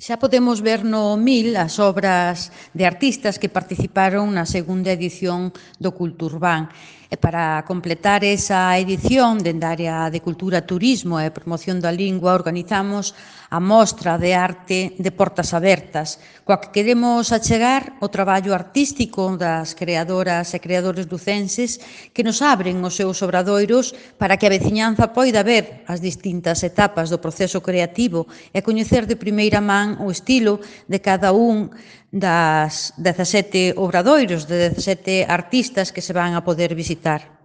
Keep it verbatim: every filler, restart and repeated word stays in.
Xa podemos ver no Mil as obras de artistas que participaron na segunda edición do Culturban. E para completar esa edición, dende a área de Cultura, Turismo e Promoción da Lingua, organizamos a Mostra de Arte de Portas Abertas, coa que queremos achegar o traballo artístico das creadoras e creadores lucenses que nos abren os seus obradoiros para que a veciñanza poida ver as distintas etapas do proceso creativo e coñecer de primeira man o estilo de cada un das dezasete obradoiros, de dezasete artistas que se van a poder visitar.